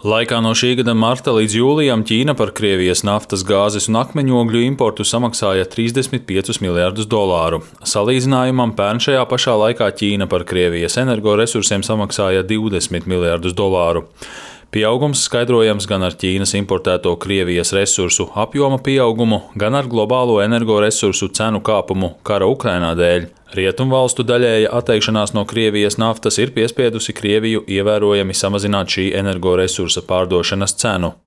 Laikā no šī gada marta līdz jūlijam Ķīna par Krievijas naftas, gāzes un akmeņogļu importu samaksāja $35 miljardus. Salīdzinājumam, pērn šajā pašā laikā Ķīna par Krievijas energoresursiem samaksāja $20 miljardus. Pieaugums skaidrojams gan ar Ķīnas importēto Krievijas resursu apjoma pieaugumu, gan ar globālo energoresursu cenu kāpumu kara Ukrainā dēļ. Rietumvalstu daļēja atteikšanās no Krievijas naftas ir piespiedusi Krieviju ievērojami samazināt šī energoresursa pārdošanas cenu.